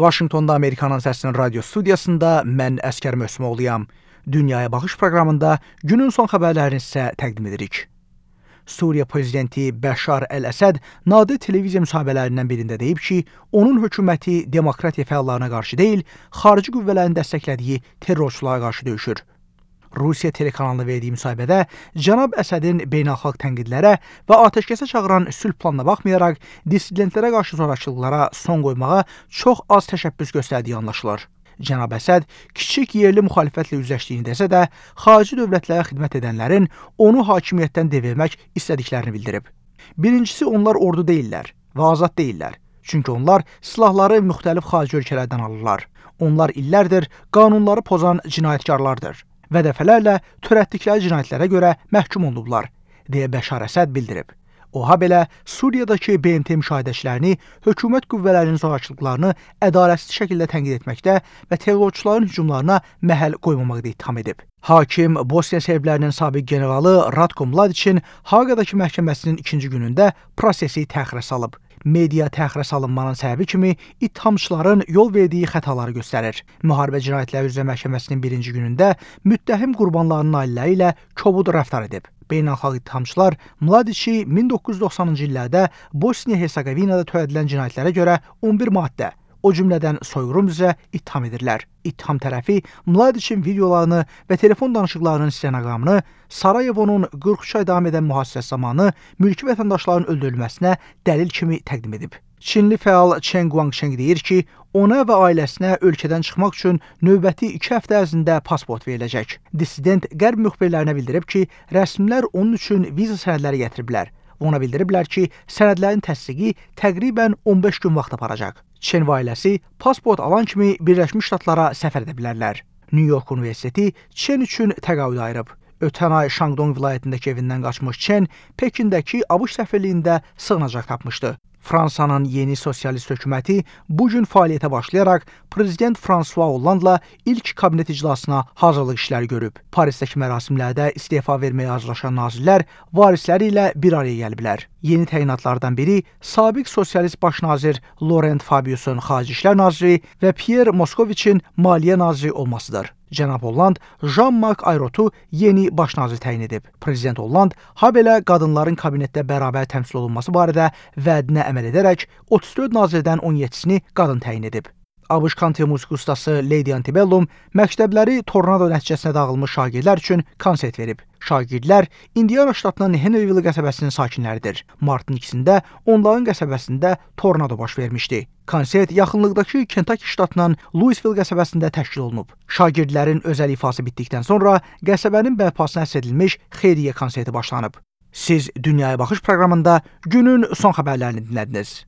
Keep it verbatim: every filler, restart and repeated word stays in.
Vaşinqtonda Amerikanın Səsinin radio studiyasında mən Əskər Möhsümoğluyam. Dünyaya Baxış proqramında günün son xəbərlərini sizə təqdim edirik. Suriya prezidenti Bəşar Əl-Əsəd nadir televiziya müsahibələrindən birində deyib ki, onun hökuməti demokratiya fəallarına qarşı deyil, xarici qüvvələrin dəstəklədiyi terrorçulara qarşı döyüşür. Rusiya telekanalına verdiyi müsahibədə cənab Əsədin beynəlxalq tənqidlərə və atəşkəsə çağıran sülh planına baxmayaraq, dissidentlərə qarşı zorakılıqlara son qoymağa çox az təşəbbüs göstərdiyi anlaşılır. Cənab Əsəd kiçik yerli müxalifətlə üzləşdiyini desə də, xarici dövlətlərə xidmət edənlərin onu hakimiyyətdən devirmək istədiklərini bildirib. Birincisi, onlar ordu deyillər və azad deyillər. Çünki onlar silahları müxtəlif xarici ölkələrdən alırlar. Onlar illərdir qanunları pozan cinayətkarlardır və dəfələrlə törətdikləri cinayətlərə görə məhkum olunublar, deyə Bəşar Əsəd bildirib. O, ha belə Suriyadakı B M T müşahidəçilərini hökumət qüvvələrinin zorakılıqlarını ədalətsiz şəkildə tənqid etməkdə və terrorçuların hücumlarına məhəl qoymamaqda ittiham edib. Hakim Bosniya serblərinin sabiq generalı Ratko Mladiçin Haqadakı məhkəməsinin ikinci günündə prosesi təxirə salıb. Media təxirə salınmanın səbəbi kimi ittihamçıların yol verdiyi xətaları göstərir. Müharibə cinayətləri üzrə məhkəməsinin birinci günündə müttəhim qurbanlarının ailələri ilə kobud rəftar edib. Beynəlxalq ittihamçılar Mladiçi min doqquz yüz doxsanıncı illərdə Bosniya-Hersegovinada törədilən cinayətlərə görə on bir maddə, o cümlədən soyğun üzrə ittiham edirlər. İttiham tərəfi Mladiçin videolarını və telefon danışıqlarının stenoqramını Sarayevonun qırx üç ay davam edən mühasirəsi zamanı mülki vətəndaşların öldürülməsinə dəlil kimi təqdim edib. Çinli fəal Chen Guangcheng deyir ki, ona və ailəsinə ölkədən çıxmaq üçün növbəti iki həftə ərzində pasport veriləcək. Dissident qərb müxbirlərinə bildirib ki, rəsmilər onun üçün viza sənədləri gətiriblər. Ona bildiriblər ki, sənədlərin təsdiqi təqribən on beş gün vaxt aparacaq. Çen və ailəsi pasport alan kimi Birləşmiş Ştatlara səfər edə bilərlər. New York Universiteti Çen üçün təqaüd ayırıb. Ötən ay Şangdong vilayətindəki evindən qaçmış Çen Pekindəki ABŞ səfirliyində sığınacaq tapmışdı. Fransanın yeni sosialist hökuməti bu gün fəaliyyətə başlayaraq Prezident François Hollandla ilk kabinet iclasına hazırlıq işləri görüb. Parisdəki mərasimlərdə istefa verməyə hazırlaşan nazirlər varisləri ilə bir araya gəliblər. Yeni təyinatlardan biri sabiq sosialist baş nazir Laurent Fabius'un xarici işlər naziri və Pierre Moscoviçin maliyyə naziri olmasıdır. Cənab Holland Jean-Marc Ayraultu yeni baş nazir təyin edib. Prezident Holland ha belə qadınların kabinetdə bərabər təmsil olunması barədə vədinə əməl edərək otuz dörd nazirdən on yeddisini qadın təyin edib. ABŞ country musiqi ustası Lady Antebellum məktəbləri tornado nəticəsində dağılmış şagirdlər üçün konsert verib. Şagirdlər Indiana ştatının Henryville qəsəbəsinin sakinləridir. Martın ikisində onların qəsəbəsində tornado baş vermişdi. Konsert yaxınlıqdakı Kentucky ştatının Louisville qəsəbəsində təşkil olunub. Şagirdlərin özəl ifası bitdikdən sonra qəsəbənin bərpasına həsr edilmiş xeyriyyə konserti başlanıb. Siz Dünyaya Baxış proqramında günün son xəbərlərini dinlədiniz.